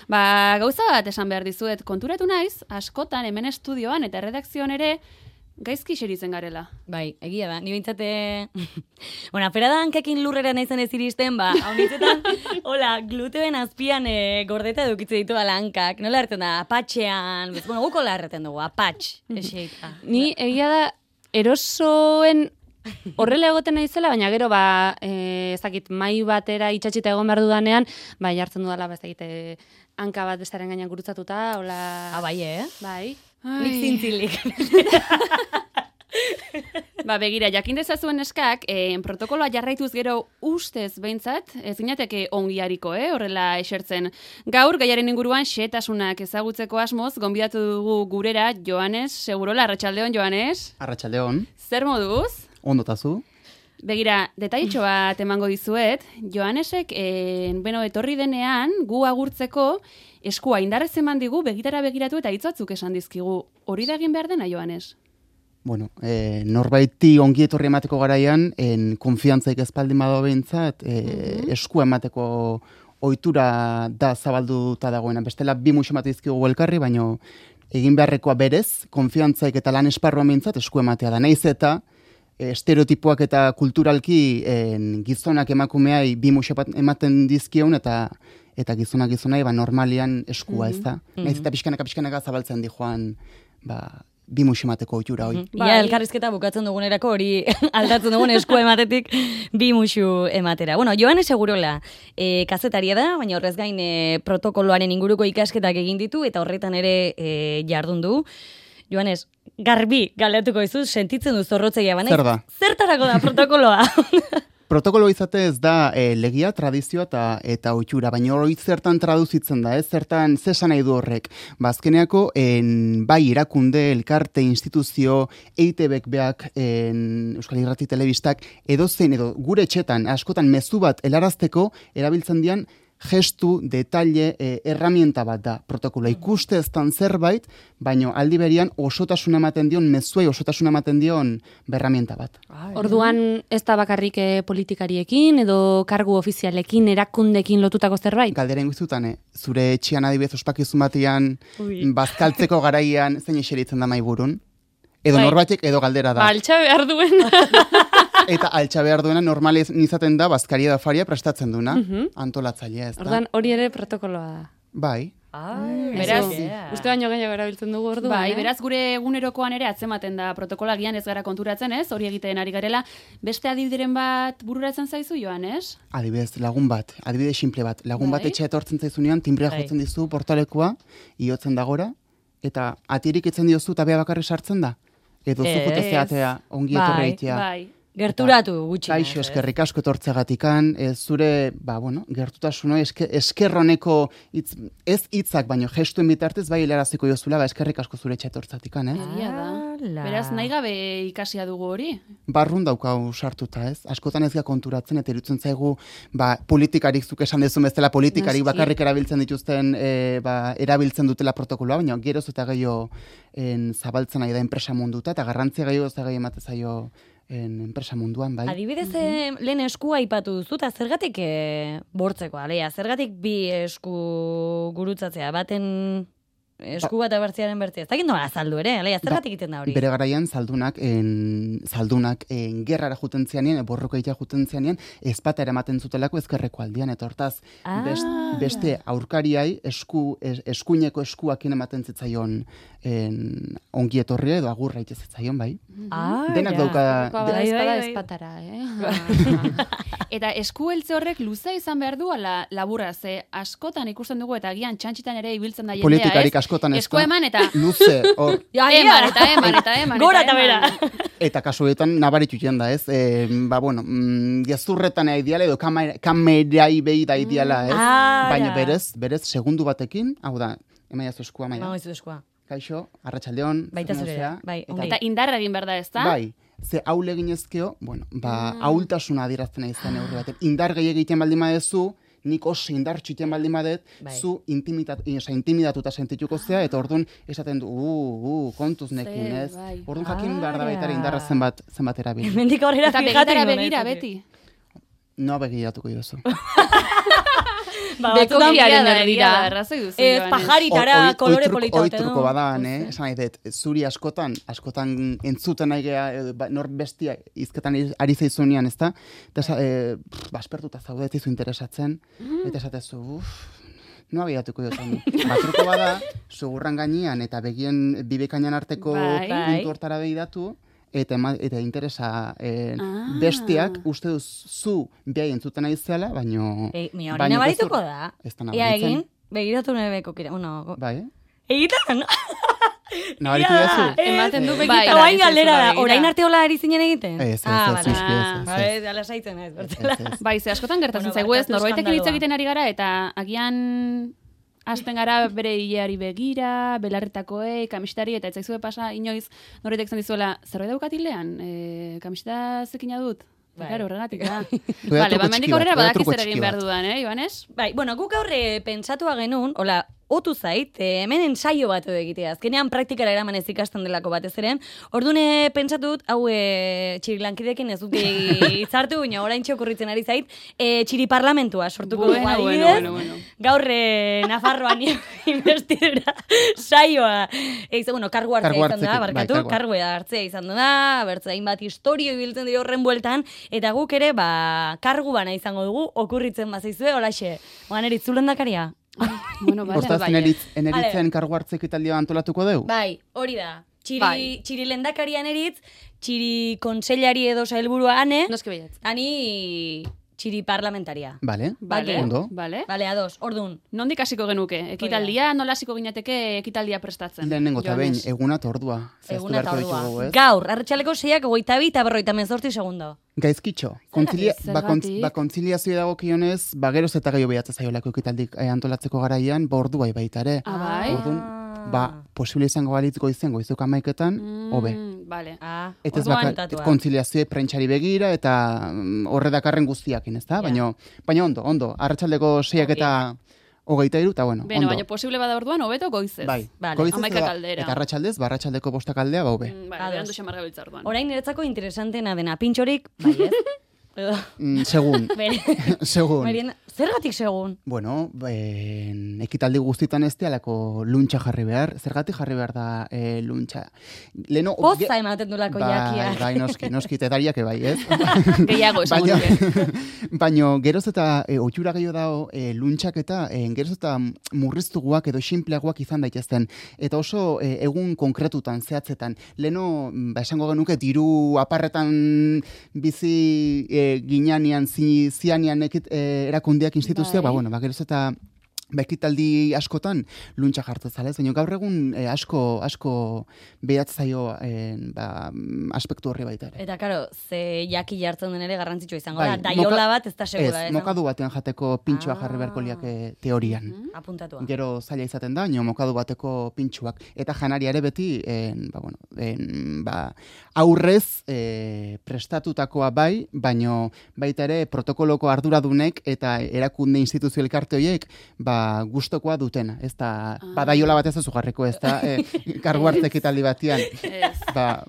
Gauza bat esan behar dizuet, konturatu naiz, askotan hemen estudioan eta redakzioan ere gaizki xeritzen garela. Bai, egia da. Ni bintzate... bueno, afera da hankekin lurrera naizan ez iristen, hau nintzetan, hola, gluteoen azpian gordeta edukitze ditu hankak. Nola erten da, apatxean, guko la erreten dugu, apatx. Ni egia da, erosoen horrela egoten naizela, baina gero, ezakit, mai batera itxatxita egon behar dudanean, jartzen dudala, ezakit, hanka bat bestaren gainean gurutzatuta, hola... bai, Bai. Nik zintzilik. Begira, jakin dezazuen eskak, protokoloa jarraituz gero ustez behintzat, ez ginateke ongiariko, horrela esertzen. Gaur, gaiaren inguruan, xehetasunak ezagutzeko asmoz, gonbidatu dugu gurera, Joanes, segurola, arratsaldeon, Joanes? Arratsaldeon. Zer moduz? Ondotazu. Begira, detailtxo bat emango dizuet, Joanesek, etorri denean, gu agurtzeko, eskua indarrez eman digu, begitara begiratu eta hitzatzuk esan dizkigu. Hori da egin behar dena, Joanes? Bueno, norbaiti ongi etorri emateko garaian, konfiantzaik ezpaldin badago behintzat, eskua emateko ohitura da zabalduta dagoena. Bestela, bi musu emate dizkigu elkarri, baina egin beharrekoa berez, konfiantzaik eta lan esparruan behintzat eskua ematea da. Naiz eta estereotipoak eta kulturalki gizonak emakumeai bi musu ematen dizkion eta gizonak gizonai normalian eskua, ez da. Naiz eta pixkanaka zabaltzen di joan bi musu emateko ohitura hori. Ia elkarrizketa bukatzen dugunerako hori aldatzen dugun eskua ematetik bi musu ematera. Bueno, Joanes Segurola kazetaria da, baina horrez gain protokoloaren inguruko ikasketak egin ditu eta horretan ere jardun du. Joanes, garbi galdetuko dizu, sentitzen du zorrotzegia baina. Zer da? Zertarako da protokoloa? Protokolo izate ez da legia, tradizioa eta ohitura, baina hori zertan traduzitzen da, zertan zesan nahi du horrek. Azkeneako, bai irakunde, elkarte, instituzio, EITB-ek beak, Euskal Irrati Telebistak, edo gure etxetan, askotan mezu bat helarazteko erabiltzen dian gestu, detalle, herramienta bat da protokoloa. Ikuste eztan zerbait, baina aldi berian osotasuna ematen dion, mezuei osotasuna ematen dion berramienta bat. Orduan ez da bakarrik politikariekin edo kargu ofizialekin, erakundekin lotutako zerbait? Galdera inguzutan, zure etxean adibidez ospakizun batean, bazkaltzeko garaian, zein eseritzen da maiburun? Edo norbaitek edo galdera da. Altxa behar duen. Eta altxa behar duena normaliz izaten da, bazkaria da faria prestatzen duna, antolatzailea, ez da. Orduan hori ere protokoloa da. Bai. Beraz, uste baino gehiago erabiltzen dugu orduan. Bai, beraz gure egunerokoan ere atzematen da protokolagian ez gara konturatzen, ez? Hori egiten ari garela. Beste adibideren bat bururatzen zaizu, Joanes? Adibidez, lagun bat, adibide simple bat. Lagun bat etxe etortzen zaizunean, timbrea jotzen dizu portalekoa, iotzen dagora, eta atirik etzen diozu eta bea bakarri sartzen da. Edo zukute zeatea ongi etorri egitea. Gerturatu gutxi. Kaixo, eskerrik asko etortzegatikan, zure, gertutasuna, eskerroneko, ez hitzak, baino gestuen bitartez, bai helaraziko jozula, eskerrik asko zure etxe etortzatikan, Egia da. Beraz, nahi gabe ikasia dugu hori? Barrun daukau sartuta, ez? Askotan ez ga konturatzen, eta irutzen zaigu, politikarik zuk esan dezun bezala, politikarik bakarrik erabiltzen dituzten, erabiltzen dutela protokoloa, baina geroz eta gehiago zabaltzen nahi da enpresa munduta, eta garrantzia gehiago ez da gehiago ematen zaio enpresa munduan, bai. Adibidez, lehen eskua aipatu duzu, eta zergatik bortzeko, alea, zergatik bi esku gurutzatzea, baten esku bat abertziaren bertzea. Ez dakit nola azaldu ere, alea, zergatik egiten da hori? Bere garaian zaldunak gerrara juten zianean, borroka itea juten zianean, ezpata eramaten zutelako ezkerreko aldian, eta hortaz, beste aurkariai eskuineko eskuakin ematen zitzaion ongi etorria edo agurra ite zitzaion, bai. Denak dauka... Ezpatara, Eta eskueltze horrek luza izan behar du, ala laburra, ze askotan ikusten dugu, eta agian txantxitan ere ibiltzen da jendea, politikarik askotan esko eman eta... Luze, hor... eman. Gora eta bera. Eta kasuetan nabaritu da, ez? Gezurretan ideala edo kamerai behi da ideala, ez? Baina berez, segundu batekin, hau da, emaiazu eskua, maia. Kaixo, arratsaldeon. Baita zurea, bai. Eta indarra egin behar da, ez da? Bai, ze haule ginezkeo, ahultasuna adierazten izan neurri baten. Indar gehi egiten baldin badezu, nik oso indartxu egiten baldin badet, zu intimidatuta sentituko zea, eta orduan esaten du, kontuz nekin, ez? Orduan jakin behar da baitara indarra zenbat erabil. Mendik aurrera fijaten. Eta begira, beti. No begiratuko jozu. Bekokiaren erdira. Arrazoi duzu, Joanes. Pajaritara, kolore polita. Oi truko badan, esan nahi dut, zuri askotan entzuten nahi geha, nor bestia izketan ari zaizunean, ezta? Eta baspertuta zaudet izu interesatzen, eta esatezu, no abiatuko jotan. Batruko bada, sugurran gainean eta begien bibekainan arteko puntu hortara behidatu, eta interesa bestiak uste duz zu behai entzuten nahi zela, baino... Hori nabarituko da. Ia egin, begiratu nire bekokira. Bai, Egitan, no? Nabaritu duzu? Ematen du begitan. Oain galdera da, orain arte hola ari zinen egiten? Ez. Ala saitzen ez, bertzela. Bai, ze askotan gertatzen zaigu ez, norbaitek hitz egiten ari gara, eta agian hasten gara bere hileari begira, belarretakoei, kamistari, eta ez zaizue pasa inoiz norbaitek zen dizuela, zerbait daukatilean, kamiseta zekina dut? Claro, horregatik da. Vale, mendik aurrera badakiz ere egin behar dudan, Joanes? Bai, bueno, guk aurre pentsatua genuen, hola, otu zait, hemen ensaio bat edo egitea. Azkenean praktikara eraman ez ikasten delako batez eren. Ordune pentsatut, hau txirilankidekin ez dut izartu, baina orain okurritzen ari zait, txiri parlamentua sortuko dugu adibidez. Gaur Nafarroan investidura saioa. Bueno, kargu hartzea izan da, barkatu, kargu hartzea izan da, bertze hainbat historio ibiltzen dira horren bueltan, eta guk ere, kargu bana izango dugu, okurritzen bazaizue, holaxe, oanerit, zulendakaria? Hortaz, eneritzen kargu hartzek italdia antolatuko deu? Bai, hori da. Txiri lendakarian eritz, txiri konseilari edo sailburua ane, ani txiri parlamentaria. Vale, ondo. Vale, ados, ordun. Nondik hasiko genuke? Ekitaldia, nola hasiko ginateke ekitaldia prestatzen? Lehenengo eta behin, eguna eta ordua. Eguna eta ordua. Gaur, arratsaleko 6ak 28 eta 58 segundo. Gaizkitxo, kontziliazioa dago kionez, geroz eta gehiago behatzen zaiolako ekitaldik antolatzeko garaian, ordu bai baita ere. Ordun, posible izango balitziko izango, izuk amaiketan, hobe. Vale. Eta ez kontziliazioa prentxari begira, eta horre dakarren guztiakin, ez da? Baina ondo, arratsaldeko 6ak eta 23, eta bueno, ondo. Baina posible bada orduan, hobeto goizez. Bai, goizez eta arratsaldez, arratsaldeko 5 aldea, hobe. Berandu xamarga biltza orduan. Orain niretzako interesantena dena, pintxorik, bai ez? Segun. Zergatik segun? Bueno, ekitaldi guztitan ez alako luntxa jarri behar. Zergatik jarri behar da luntxa? Poza ematen dulako jakia. Bai, noski, tedariak bai, ez? Gehiago esan duke. Baina, geroz eta oitura gehiago dago luntxak eta geroz eta murriztuguak edo sinpleagoak izan daitezten. Eta oso egun konkretutan, zehatzetan. Leno, esango genuke, diru aparretan bizi ginean, zianean erakundeak instituzioak, geroz eta ekitaldi askotan luntxa jartzen zala, baina gaur egun asko behatzaio aspektu horri baita ere. Eta, karo, ze jaki jartzen den ere garrantzitsua izango da, daiola bat ez da segura. Ez, mokadu batean jateko pintxua jarri beharko liak teorian. Apuntatua. Gero zaila izaten da, mokadu bateko pintxuak. Eta janari ere beti, aurrez prestatutakoa bai, baina baita ere protokoloko arduradunek eta erakunde instituzio elkarte horiek, gustokoa dutena, ez da, badaiola bat ez da zugarreko, ez da, kargu hartzek ekitaldi batian.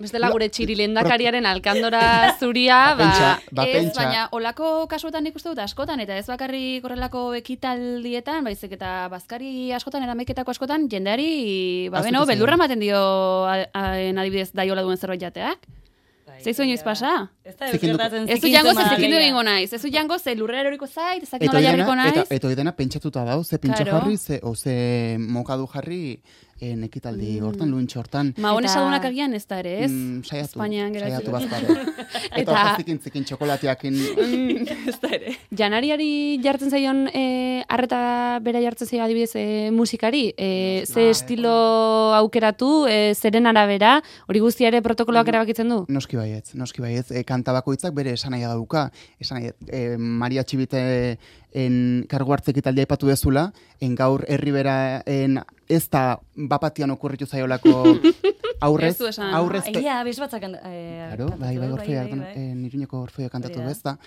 Bestela gure txiri lehendakariaren alkandora zuria, baina olako kasuetan ikuste dut askotan, eta ez bakarrik horrelako ekitaldietan, baizik eta bazkari askotan, erameketako askotan, jendeari, beldurra ematen dio adibidez daiola duen zerbait jateak. Zeizu inoiz pasa? Ez du jango ze zikindu egingo naiz. Ez du jango ze lurrera eroriko zait, ezak nola jarriko naiz. Eta oidena pentsatuta dau, ze pintxo jarri, ze mokadu jarri ekitaldi hortan, luntxo hortan. Magonez adunak agian ez da ere, ez? Saiatu bazpare. Eta hortazik zikin txokolatiakin. Ez da ere. Janariari jartzen zaion, arreta bera jartzen zaio adibidez musikari, ze estilo aukeratu, zeren arabera, hori guztia ere protokoloak erabakitzen du? Noski baietz, kanta bakoitzak bere esanaia dauka. Maria Txibite kargu hartzek italdia ipatu dezula, gaur herribera ez da bapatian okurritu zaiolako aurrez. Egia, bez batzakan. Bai, Iruñeko Orfeia kantatu bez da.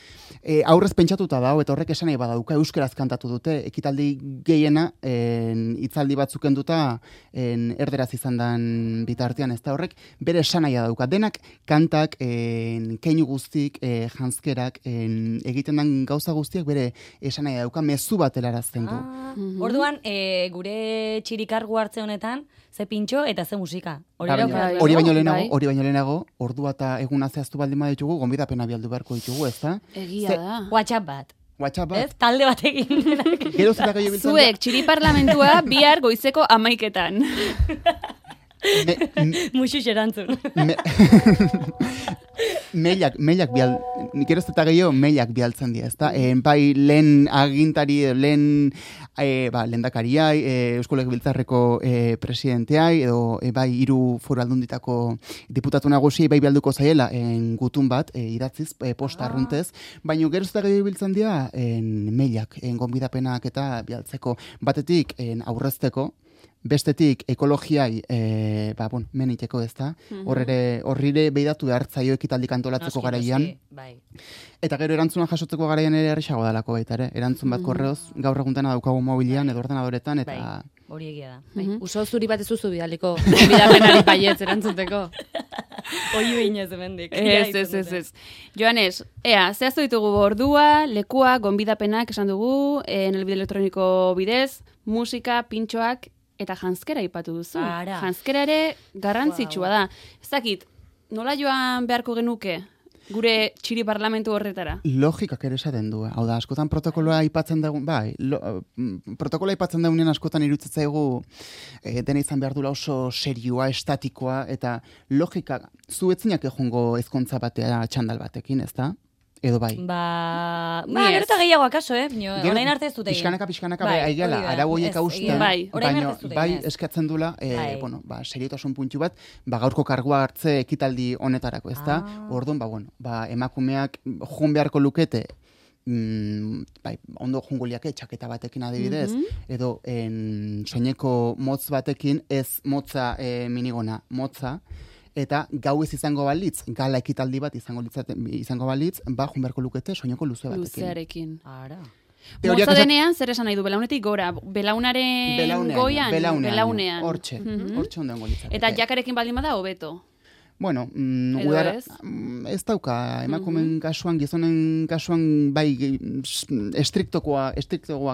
Aurrez pentsatuta dago, eta horrek esanai badauka, euskeraz kantatu dute, ekitaldi gehiena, hitzaldi batzuk enduta, erderaz izan dan bitartean, ez da horrek, bere esanaia dauka. Denak kantak, keinu guztik, janskerak, egiten dan gauza guztiak bere esan nahi dauka, mezu bat helarazten du. Orduan, gure txirikargu hartze honetan, ze pintxo eta ze musika. Hori baino lehenago, ordua eta eguna zehaztu baldin baditugu, gonbidapena bialdu beharko ditugu, ez da? Egia da. WhatsApp bat. WhatsApp. Talde batekin. Gero zeta gehiago biltzen Zuek, txiri parlamentua bihar goizeko 11:00. Muxu xerantzun. Mailak gero zeta gehiago mailak bialtzen dira, ezta? Bai, lehen agintari, lehendakariai, Eusko Legebiltzarreko presidenteai, edo bai, 3 foru aldunditako diputatu nagusi bai bialduko zaiela gutun bat, idatziz, posta arruntez, baina gero zeta gehiago biltzen dira mailak, gonbidapenak eta bialtzeko, batetik aurrezteko, bestetik ekologiai meniteko ez da, horrire behidatu behartzaio ekitaldik antolatzeko garaian, eta gero erantzuna jasotzeko garaian ere errexago dalako baita ere, erantzun bat korreoz gaur eguntana daukagu mobilian edo ordenadoretan, eta... Hori egia da. Uso zuri bat ezuzu bidaliko, bidapenari baietz erantzuteko. Hoi behinez emendik. Ez. Joanes, zehaztu ditugu ordua, lekua, gonbidapenak esan dugu, elbide elektroniko bidez, musika, pintxoak, eta janzkera ipatu duzu. Janzkera ere garrantzitsua da. Ez dakit, nola joan beharko genuke gure txiri parlamentu horretara? Logikak ere esaten du. Hau da, askotan protokoloa aipatzen dugu, protokoloa aipatzen dugunean askotan irutzaigu dena izan behar dula oso serioa, estatikoa, eta logika, zu etzinak ejongo ezkontza batea txandal batekin, ez da? Edo bai. Gero eta gehiago akaso, orain arte ez dut egin. Pixkanaka, aigeala, arau horiek hausten, bai, eskatzen dula, seriotasun puntu bat, gaurko kargua hartze ekitaldi honetarako, ez da? Orduan, emakumeak jun beharko lukete, ondo junguliake txaketa batekin adibidez, edo soineko motz batekin, ez motza minigona, motza, eta gau ez izango balitz, gala ekitaldi bat izango balitz, jun beharko lukete soineko luze batekin. Luzearekin. Ara. Motza denean, zer esan nahi du, belaunetik gora, belaunaren goian, belaunean. Hortxe onden golitzateke. Eta jakarekin baldin bada, hobeto. Bueno, ez dauka, emakumen kasuan, gizonen kasuan, bai, estriktokoak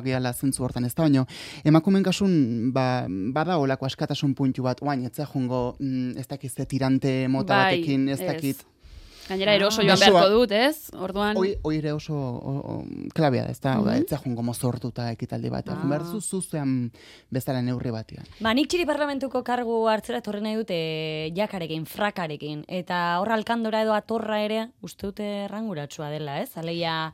gehala zentzu hortan ez da, baina emakumen kasuan, bada olako askatasun puntu bat, oain, etzea jongo, ez dakiz, tirante mota batekin, ez dakit. Gainera eroso joan beharko dut, ez? Orduan... Hoi ere oso klabea da, ez da, etzea jongo mozortuta ekitaldi bat, behar zuzean bezala neurri batean. Nik txiri parlamentuko kargu hartzera torri nahi dute jakarekin, frakarekin, eta horra alkandora edo atorra ere, uste dute erranguratsua dela, ez? Aleia...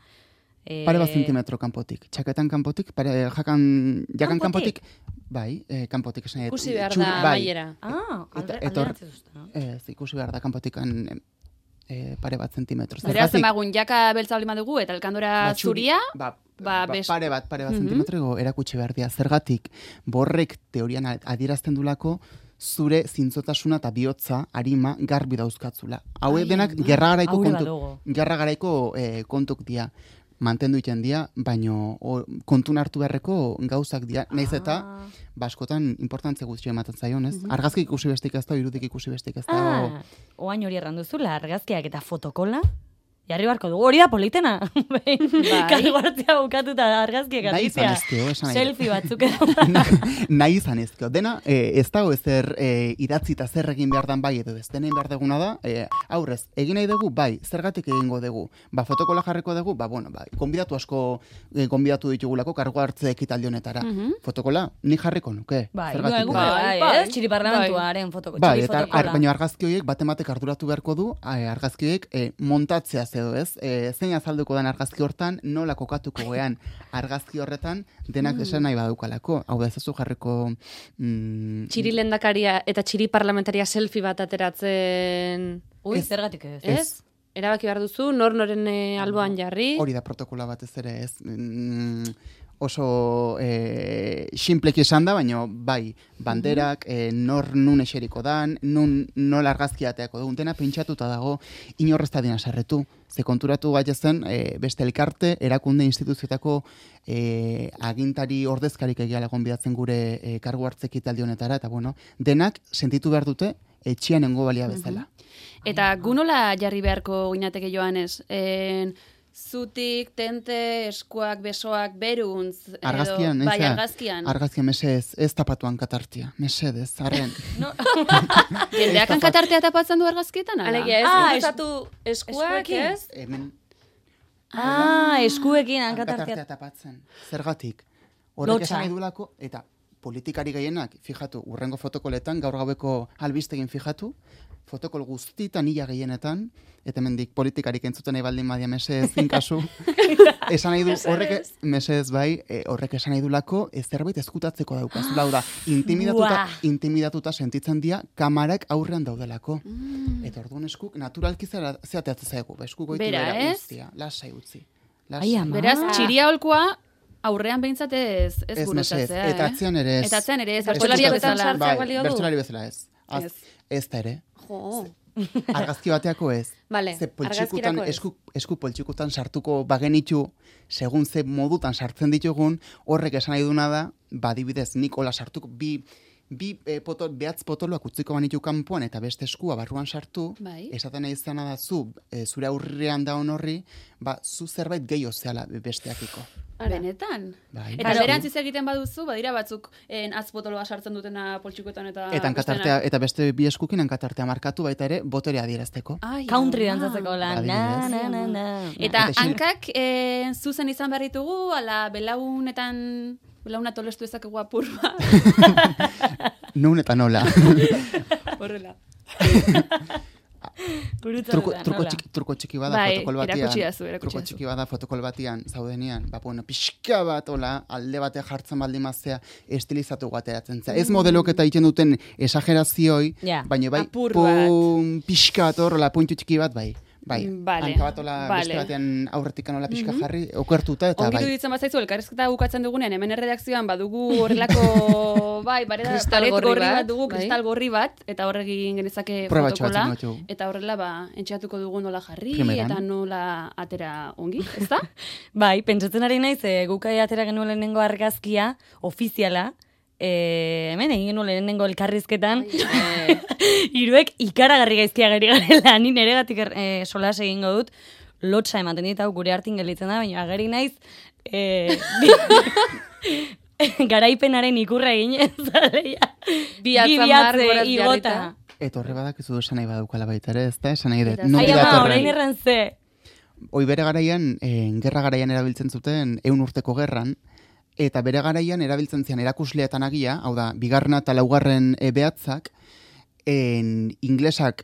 Pare bat zentimetro kanpotik, txaketan kanpotik, jakan kanpotik, bai, kanpotik esan. Ikusi behar da maiera. Alderatzen zuzta. Ikusi behar da kanpotikan... pare bat zentimetro. Beraz, emagun, jaka beltza bali madugu, eta alkandora zuria, pare bat zentimetro erakutsi behar dira. Zergatik, borrek teorian adierazten dulako, zure zintzotasuna eta bihotza arima garbi dauzkatzula. Hauek denak gerra garaiko kontuk dira. Mantendu iten dira, baino kontun hartu beharreko gauzak dira. Naiz eta, baskotan importantze guztia ematen zaion, ez? Argazki ikusi bestik ez da, irudik ikusi bestik ez da. Oain hori erranduzula, argazkiak eta fotokola? Jarri barko dugu, hori da politena. Kargu hartzea bukatuta argazkiak argitzea. Selfie batzuk edo. Nahi izan ezkio. Dena, ez dago ezer idatzi eta zer egin behar dan bai edo ez. Dena behar deguna da, aurrez, egin nahi dugu, bai, zergatik egingo dugu. Fotokola jarriko dugu, konbidatu asko konbidatu ditugulako kargu hartze ekitaldi honetara. Fotokola, ni jarriko nuke. Bai, txiri parlamentuaren fotokola. Bai, eta baina argazki horiek batematek arduratu beharko du, argazki horiek montatzea edo ez, zein azalduko den argazki hortan, nola kokatuko gean argazki horretan, denak esan nahi badukalako. Hau da, ez zu jarriko... Txiri lehendakaria eta txiri parlamentaria selfie bat ateratzen... Zergatik ez. Ez? Erabaki behar duzu, noren alboan jarri. Hori da protokola bat ez ere, ez... oso simpleki esan da, baina bai, banderak, nun eseriko dan, nola argazkiateako dugun, dena pentsatuta dago, inorrezta dina sarretu. Ze konturatu gaitezen, beste elkarte, erakunde instituzioetako agintari ordezkarik egiala gonbidatzen gure kargu hartzek italdi honetara, eta denak sentitu behar dute etxian nengo balia bezala. Eta gunola jarri beharko ginateke Joanes, zutik, tente, eskuak, besoak, beruntz. edo- Argazkian, Bai, entzea, argazkian. Argazkian, mesedez, ez tapatuan katartia. Mesedez, arren. Jendeak hankatartea tapatzen du argazkietan, ala? Alegia, ez, Ah, gustatu eskuak, eskuekin. ez? Hemen Eskuekin hankatartea hankatartea. tapatzen. Zergatik. Horrek Lotsa. esan nahi duelako, eta politikari gehienak, fijatu, urrengo fotokoletan, gaur gaueko albistegin fijatu, fotokol guztitan ia gehienetan, eta hemendik politikarik entzuten nahi baldin badia mesedez inkasu, esan nahi du, horrek, mesedez bai, horrek esan nahi duelako, zerbait ezkutatzeko daukazula, hau da, intimidatuta sentitzen dira, kamarak aurrean daudelako. Eta orduan eskuk, naturalki zeateatzen zaigu, eskuk goitu Bera, bera ez? guztia, lasai utzi. Ai, ama. Beraz, txiria holkoa aurrean behintzat ez Ez gurutzatzea, eta atzean ere ez. Eta atzean ere ez, Ez bertsolaria bertsolariak bezala. sartzeak balio du? bertsolari bezala ez. Ez. Ez da ere. Jo. Argazki bateako ez. Vale, Ze poltsikutan, argazkirako ez. esku poltsikutan sartuko bagenitu, segun ze modutan sartzen ditugun, horrek esan nahi duna da, badibidez, nik hola sartuko, behatz potoloak utziko banitu kanpoan eta beste eskua barruan sartu, Bai. esaten nahi izana da zu, zure aurrean daun horri, zu zerbait gehiago zehala besteakiko. Benetan. Bai. Eta berantziz egiten baduzu, badira batzuk azpotoloa sartzen dutena poltsikoetan eta... Eta hankatartea, eta beste bi eskukin hankatartea markatu baita ere, boterea adierazteko. Country dantzatzeko lan. Adibidez. Na. Eta Eta hankak zuzen izan behar ditugu, ala belauna tolestu ezakegu apur bat. Nun eta nola. Horrela. Truko txiki bada Bai, fotokol batian. erakutsi Truko dazu. txiki bada fotokol batian, zaudenian, pixka bat, hola, alde bate jartzen baldin maztea, estilizatu ateratzen za. Ez modelok eta egiten duten esagerazioi, Ja. baina bai, Apur bat. pixka bat horrela, puntu txiki bat, bai. Bai, Vale, hanka bat hola, vale. beste batean aurretik anola pixka jarri, okertuta, eta Ongi bai. duditzen bazaizu, elkarrezketa bukatzen dugunean, hemen erredakzioan badugu horrelako, bai, Kristal paret gorri gorri bat, bat dugu, bai. kristal gorri bat, eta horregin genezake Probatxo fotokola, batzuk ditugu. eta horrela, entxeatuko dugu nola jarri, Primeran. eta nola atera ongi, ezta? Bai, pentsatzen ari naiz, gukai atera genuen lehenengo argazkia, ofiziala, hemen egin genuen lehenengo elkarrizketan, hiruek ikaragarri gaizkia gari garela, ni neregatik solas egingo dut, lotsa ematen dit, hau gure hartin gelitzen da, baina ageri naiz, garaipenaren ikurra eginez, zaleia. Bi atzamar goraz igota. jarrita. Eta horre badakizu esan nahi badaukala baita ere, ez da? Esan nahi dut. Eta nondik Ai, ama, datorren. orain erran ze. Hoi bere garaian, gerra garaian erabiltzen zuten 100 urteko gerran, eta bere garaian erabiltzen zian erakusleetan agia, hau da, bigarrena eta laugarren behatzak, inglesak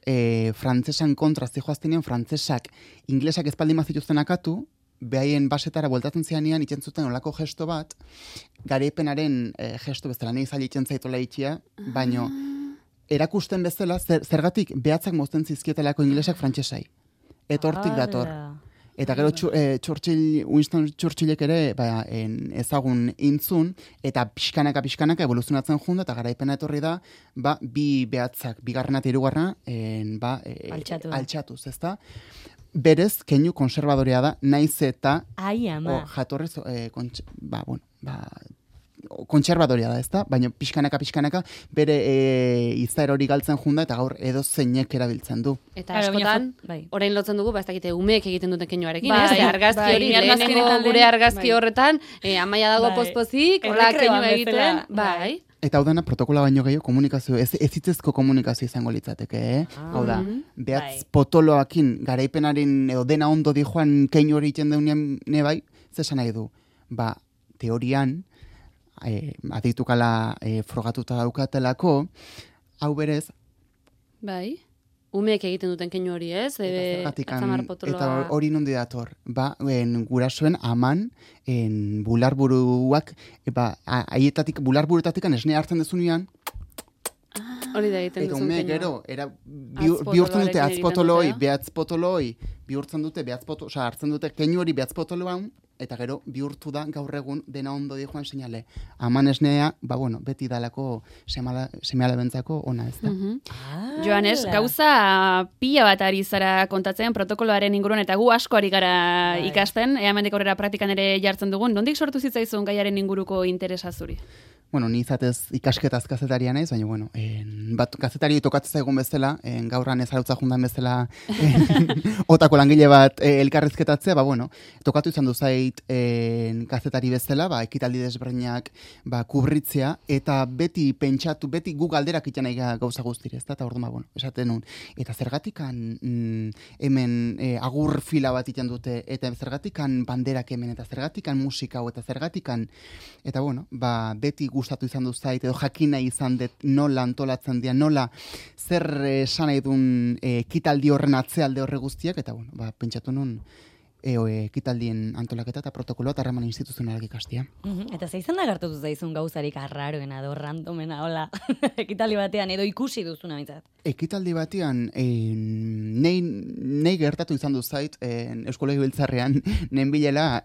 frantzesan kontra zijoaztenean, frantzesak inglesak ezpaldi mazituzten akatu, behaien basetara bueltatzen zianean, itzen zuten olako gesto bat, garaipenaren gesto bezala, nahi zaila itzen zaitola itxia, baino, erakusten bezala, zergatik behatzak mozten zizkietelako inglesak frantsesai. Eta hortik dator. Eta gero Winston Churchillek ere ezagun intzun, eta pixkanaka evoluzionatzen junda, eta garaipena etorri da, bi behatzak, bigarrena eta hirugarrena, altxatuz, ezta? Berez, keinu konservadorea da, naiz eta Ai, ama. jatorrez, kontserbadoria da, ezta? Baina pixkanaka bere izaera hori galtzen junda eta gaur edo zeinek erabiltzen du. Eta Claro, baina askotan, bai. orain lotzen dugu, ez dakite umeek egiten duten keinuarekin, Bai, ez? Argazki bai, hori, ni argazkietan lehenengo lehen- gure argazki bai. horretan, amaia dago Bai. pozpozik, hola Errekreoan keinu egiten, bezala, bai. Eta hau dena protokola baino gehiago komunikazio, ez hitzezko komunikazio izango litzateke, Hau da, behatz Bai. potoloakin garaipenaren edo dena ondo di joan keinu hori iten deunean bai, zesan nahi du? Teorian, aditukala frogatuta daukatelako, hau berez, Bai. Umeek egiten duten keinu hori, ez? Atzamar potoloa. eta hori nondi dator, gurasoen aman, bularburuak, bularburutatik esne hartzen dezunean, Hori da egiten eta duzun ume keinua. gero, bihurtzen dute Atzpotoloarekin atzpotoloi, egiten dute. behatzpotoloi, bihurtzen dute hartzen dute keinu hori behatzpotoloan, eta gero bihurtu da gaur egun dena ondo di joan seinale. Aman esnea, beti dalako seme-alabentzako ona, ez da. Joanes, gauza pila bat ari zara kontatzen protokoloaren inguruan eta gu asko ari gara ikasten, hemendik aurrera praktikan ere jartzen dugun. Nondik sortu zitzaizun gaiaren inguruko interesa zuri? Ni izatez ikasketaz kazetaria naiz, baina, bat kazetari tokatzen zaigun bezala, gaurran ez arautza jundan bezala otako langile bat elkarrezketatzea, tokatu izan du zait kazetari bezala, ekitaldi desberdinak kubritzea, eta beti pentsatu, beti gu galderak itan nahi gauza guztire, ez da, eta orduan, esaten nun, eta zergatikan hemen agur fila bat itan dute, eta zergatikan banderak hemen, eta zergatikan musika, eta zergatikan, eta beti gustatu izan du zait, edo jakina izan dut nola antolatzen dira, nola zer esan nahi duen ekitaldi horren atzealde horre guztiak, eta pentsatu nun ekitaldien antolaketa eta protokoloa eta harreman instituzionalak ikastia. Eta zeizan da gertatu zaizun gauzarik arraroena edo randomena, hola, ekitaldi batean edo ikusi duzuna bintzat? Ekitaldi batean, nei gertatu izan du zait, Eusko Legebiltzarrean, nen bilela,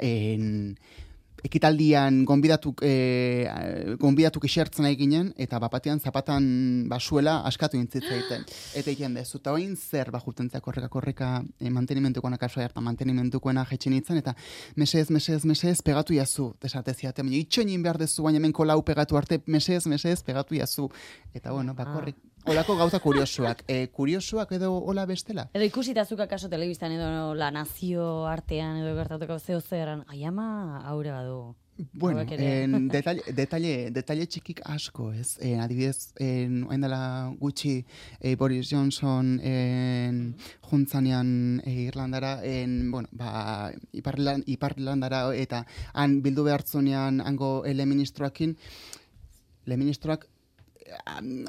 ekitaldian gonbidatuk esertzen nahi ginen, eta bapatean zapatan basuela askatu intzitzaiten. Eta egin dezu, eta oin zer jurtentzak horreka mantenimentukoena kasua hartan, mantenimentukoena jetxin itzen, eta mesez, pegatu jazu, desateziate, baina itxoinin behar dezu, baina hemen kolau pegatu arte, mesez, pegatu jazu. Eta bakorrik, olako gauza kuriosuak. Kuriosuak edo hola bestela? Edo ikusitazuk akaso telebistan edo La Nazio artean edo gertatuko zeo zeran, aiama aure badu. Bueno, detalle txikik asko, ez? Adibidez, oain dela gutxi Boris Johnson juntzanean Irlandara, Ipar Irlandara, eta han bildu behartzunean hango leministroak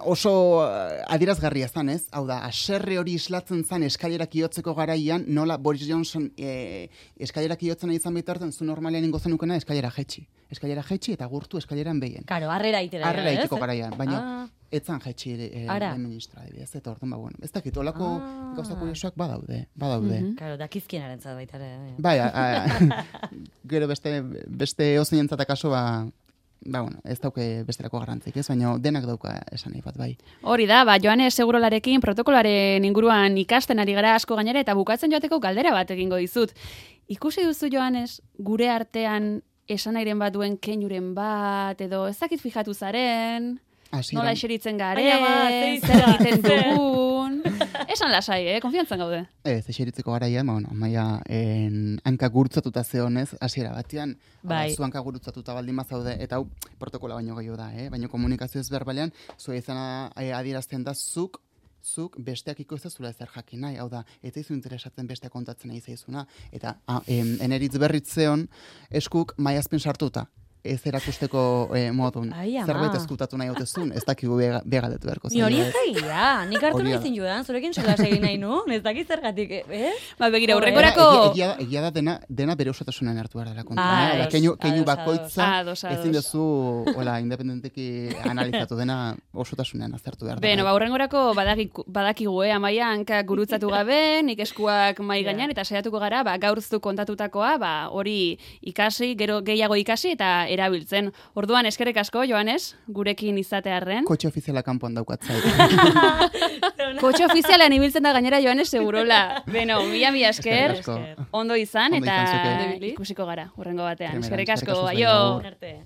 oso adierazgarria zan, ez? Hau da, aserre hori islatzen zan eskailerak iotzeko garaian, nola Boris Johnson eskailerak iotzen izan bitarten, zu normalean ingo zenukena eskailera jetxi eta gurtu eskaileran behien. Karo, harrera iteko garaian, baina etzan jetxi ministra, adibidez, eta orduan, ez dakit, olako gauza kuriosuak badaude. Karo, dakizkienaren zat baitare. Bai, gero beste ozenentzat akaso, ez dauke besterako garrantzik, ez? Baina denak dauka esan nahi bat, bai. Hori da, Joanes Segurolarekin protokoloaren inguruan ikasten ari gara asko gainera eta bukatzen joateko galdera bat egingo dizut. Ikusi duzu, Joanes, gure artean esanairen bat duen keinuren bat, edo ez dakit fijatu zaren, nola eseritzen garen, zer egiten dugun... Esan lasai, konfiantzan gaude. Ez, eseritzeko garaian, amaia hanka gurutzatuta zeonez, hasiera batean, zu hanka gurutzatuta baldin mazaude, eta hau protokola baino gehiago da, baina komunikazio ez berbalean, zua izana adierazten da zuk besteak ikusezula ezer jakin nahi, hau da, eta izu interesatzen besteak kontatzen nahi zaizuna, eta eneritz berritzeon eskuk maiazpen sartuta. Ez erakusteko modun. Zerbait ezkutatu nahi otezun, ez dakigu begaldetu beharko zen. Ni hori ezagia, nik hartu nahi zindudan, zurekin solas egin nahi nu, ez dakit zergatik, Begira, urrekorako... Egia da dena bere osotasunen hartu behar dela kontra. Keinu bakoitza, ezin duzu, independenteki analizatu dena osotasunen aztertu behar da. Beno, urrengorako badakigu, amaia, hanka gurutzatu gabe, nik eskuak mai gainean, eta saiatuko gara, gaurzu kontatutakoa, hori ikasi, gero gehiago ikasi, eta erabiltzen. Orduan, eskerrik asko, Joanes, gurekin izatearren. Kotxe ofiziala kanpoan daukatzait. Kotxe ofizialean ibiltzen da gainera, Joanes, segurola. Beno, mila esker, ondo izan, eta ikusiko gara, urrengo batean. Eskerrik asko, aio!